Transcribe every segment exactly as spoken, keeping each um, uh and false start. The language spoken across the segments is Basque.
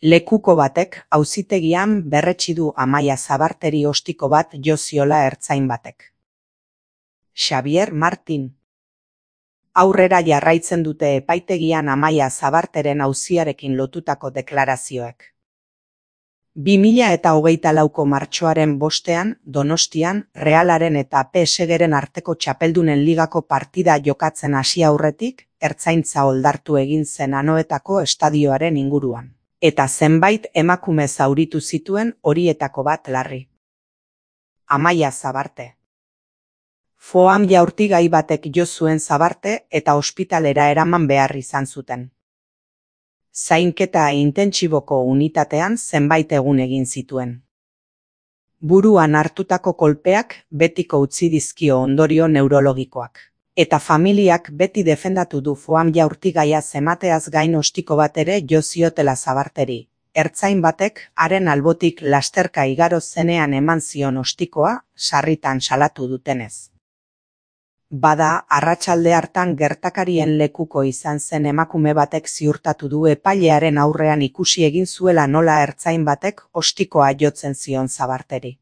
Lekuko batek auzitegian berretsi du Amaia Zabarteri ostiko bat jo ziola ertzain batek. Xabier Martin. Aurrera jarraitzen dute epaitegian Amaia Zabarteren auziarekin lotutako deklarazioek. bi mila eta hogeita lauko martxoaren bostean, Donostian, Realaren eta P S Gren arteko txapeldunen ligako partida jokatzen hasi aurretik, ertzaintza oldartu egin zen Anoetako estadioaren inguruan. Eta zenbait emakume zauritu zituen horietako bat larri. Amaia Zabarte. Foam jaurtigai batek jo zuen Zabarte eta ospitalera eraman behar izan zuten. Zainketa intentsiboko unitatean zenbait egun egin zituen. Buruan hartutako kolpeak betiko utzi dizkio ondorio neurologikoak. Eta familiak beti defendatu du foam jaurtigaia zemateaz gain ostiko bat ere jo ziotela Zabarteri. Ertzain batek haren albotik lasterka igaro zenean eman zion ostikoa, sarritan salatu dutenez. Bada, arratsalde hartan gertakarien lekuko izan zen emakume batek ziurtatu du epailearen aurrean ikusi egin zuela nola ertzain batek ostikoa jotzen zion Zabarteri.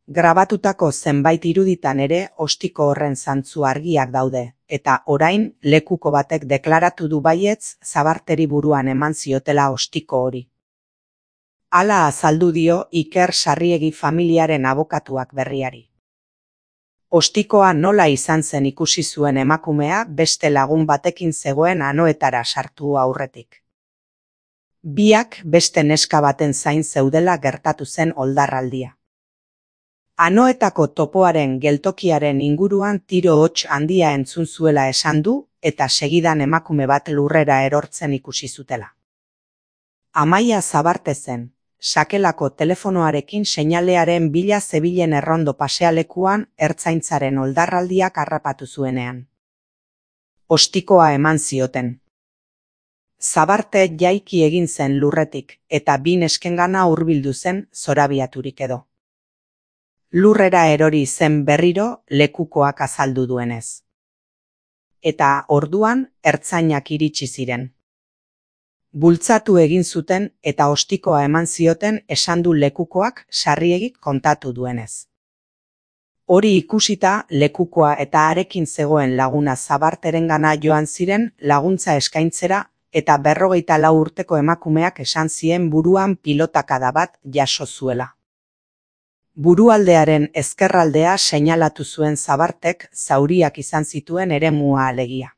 Grabatutako zenbait iruditan ere ostiko horren zantzu argiak daude, eta orain lekuko batek deklaratu du baietz Zabarteri buruan eman ziotela ostiko hori. Hala azaldu dio Iker Sarriegi familiaren abokatuak berriari. Ostikoa nola izan zen ikusi zuen emakumea beste lagun batekin zegoen Anoetara sartu aurretik. Biak beste neska baten zain zeudela gertatu zen oldarraldia. Anoetako topoaren geltokiaren inguruan tiro hots handia entzun zuela esan du eta segidan emakume bat lurrera erortzen ikusi zutela. Amaia Zabarte zen. Sakelako telefonoarekin seinalearen bila zebilen errondo pasealekuan ertzaintzaren oldarraldiak harrapatu zuenean. Ostikoa eman zioten. Zabarte jaiki egin zen lurretik eta bi neskengana hurbildu zen zorabiaturik edo. Lurrera erori zen berriro lekukoak azaldu duenez. Eta orduan ertzainak iritsi ziren. Bultzatu egin zuten eta ostikoa eman zioten esan du lekukoak Sarriegik kontatu duenez. Hori ikusita lekukoa eta harekin zegoen laguna Zabarterengana joan ziren laguntza eskaintzera eta berrogeita lau urteko emakumeak esan zien buruan pilotakada bat jaso zuela. Burualdearen ezkerraldea seinalatu zuen Zabartek zauriak izan zituen eremua alegia.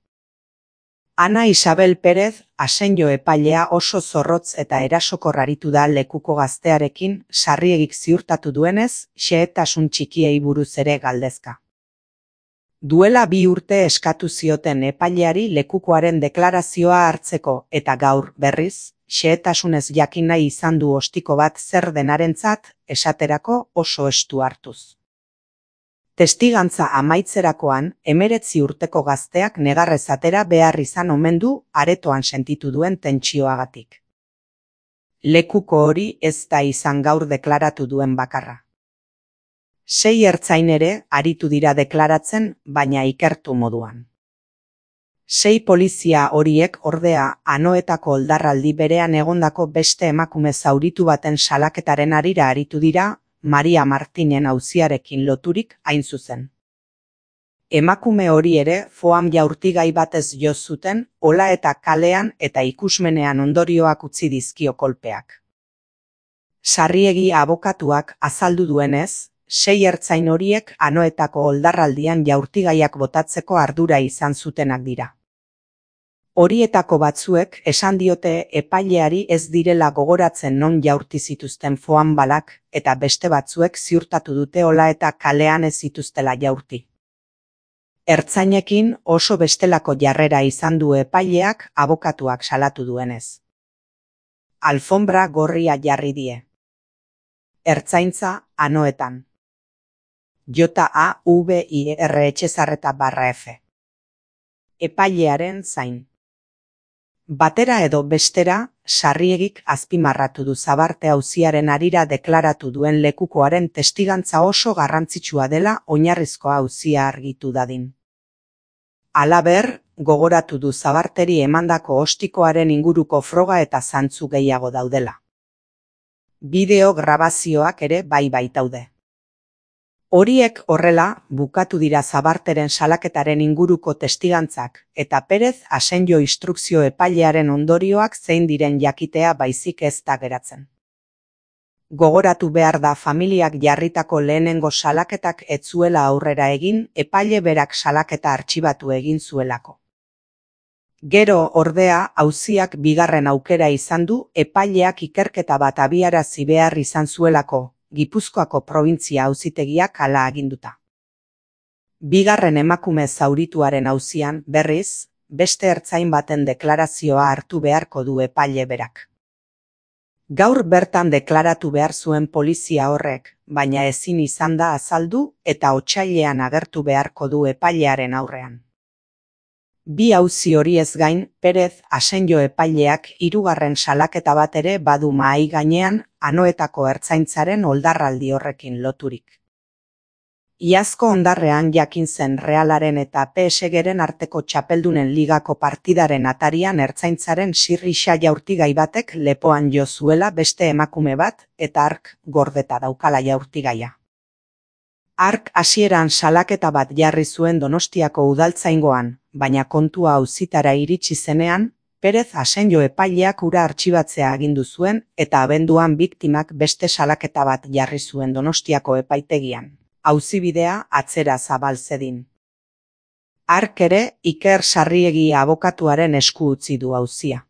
Ana Isabel Perez, asenjo epailea oso zorrotz eta erasokor aritu da lekuko gaztearekin Sarriegik ziurtatu duenez, xehetasun txikiei buruz ere galdezka. Duela bi urte eskatu zioten epaileari lekukoaren deklarazioa hartzeko eta gaur, berriz, xehetasunez jakin nahi izan du ostiko bat zer denarentzat, esaterako oso estu hartuz. Testigantza amaitzerakoan, hemeretzi urteko gazteak negarrez atera behar izan omen du aretoan sentitu duen tentsioagatik. Lekuko hori ez da izan gaur deklaratu duen bakarra. Sei ertzain ere aritu dira deklaratzen, baina ikertu moduan. Sei polizia horiek ordea Anoetako oldarraldi berean egondako beste emakume zauritu baten salaketaren harira aritu dira, Maria Martinen auziarekin loturik hain zuzen. Emakume hori ere foam jaurtigai batez jo zuten, ola eta kalean eta ikusmenean ondorioak utzi dizkio kolpeak. Sarriegi abokatuak azaldu duenez, sei ertzain horiek Anoetako oldarraldian jaurtigaiak botatzeko ardura izan zutenak dira. Horietako batzuek esan diote epaileari ez direla gogoratzen non jaurti zituzten foam balak eta beste batzuek ziurtatu dute ola eta kalean ez zituztela jaurti. Ertzainekin oso bestelako jarrera izan du epaileak abokatuak salatu duenez. Alfombra gorria jarri die. Ertzaintza Anoetan. J A V I R Etxezarreta barra F. Epailearen zain. Batera edo bestera, Sarriegik azpimarratu du Zabarte auziaren harira deklaratu duen lekukoaren testigantza oso garrantzitsua dela oinarrizko auzia argitu dadin. Halaber, gogoratu du Zabarteri emandako ostikoaren inguruko froga eta zantzu gehiago daudela. Bideo grabazioak ere bai baitaude. Horiek horrela, bukatu dira Zabarteren salaketaren inguruko testigantzak, eta Perez Asenjo instrukzio epailearen ondorioak zein diren jakitea baizik ez da geratzen. Gogoratu behar da familiak jarritako lehenengo salaketak ez zuela aurrera egin, epaile berak salaketa artxibatu egin zuelako. Gero, ordea, auziak bigarren aukera izan du epaileak ikerketa bat abiarazi behar izan zuelako, Gipuzkoako probintzia auzitegiak hala aginduta. Bigarren emakume zaurituaren auzian, berriz, beste ertzain baten deklarazioa hartu beharko du epaile berak. Gaur bertan deklaratu behar zuen polizia horrek, baina ezin izan da azaldu eta otsailean agertu beharko du epailearen aurrean. Bi auzi horiez gain, Perez Asenjo epaileak hirugarren salaketa bat ere badu mahai gainean, Anoetako ertzaintzaren oldarraldi horrekin loturik. Iazko ondarrean jakin zen Realaren eta P S Gren arteko txapeldunen ligako partidaren atarian ertzaintzaren sirrixa jaurtigai batek lepoan jo zuela beste emakume bat eta hark gordeta daukala jaurtigaia. Hark hasieran salaketa bat jarri zuen Donostiako udaltzaingoan, baina kontua auzitara iritsi zenean, Perez Asenjo epaileak hura artxibatzea agindu zuen eta abenduan biktimak beste salaketa bat jarri zuen Donostiako epaitegian. Auzibidea atzera zabal zedin. Hark ere Iker Sarriegi abokatuaren esku utzi du auzia.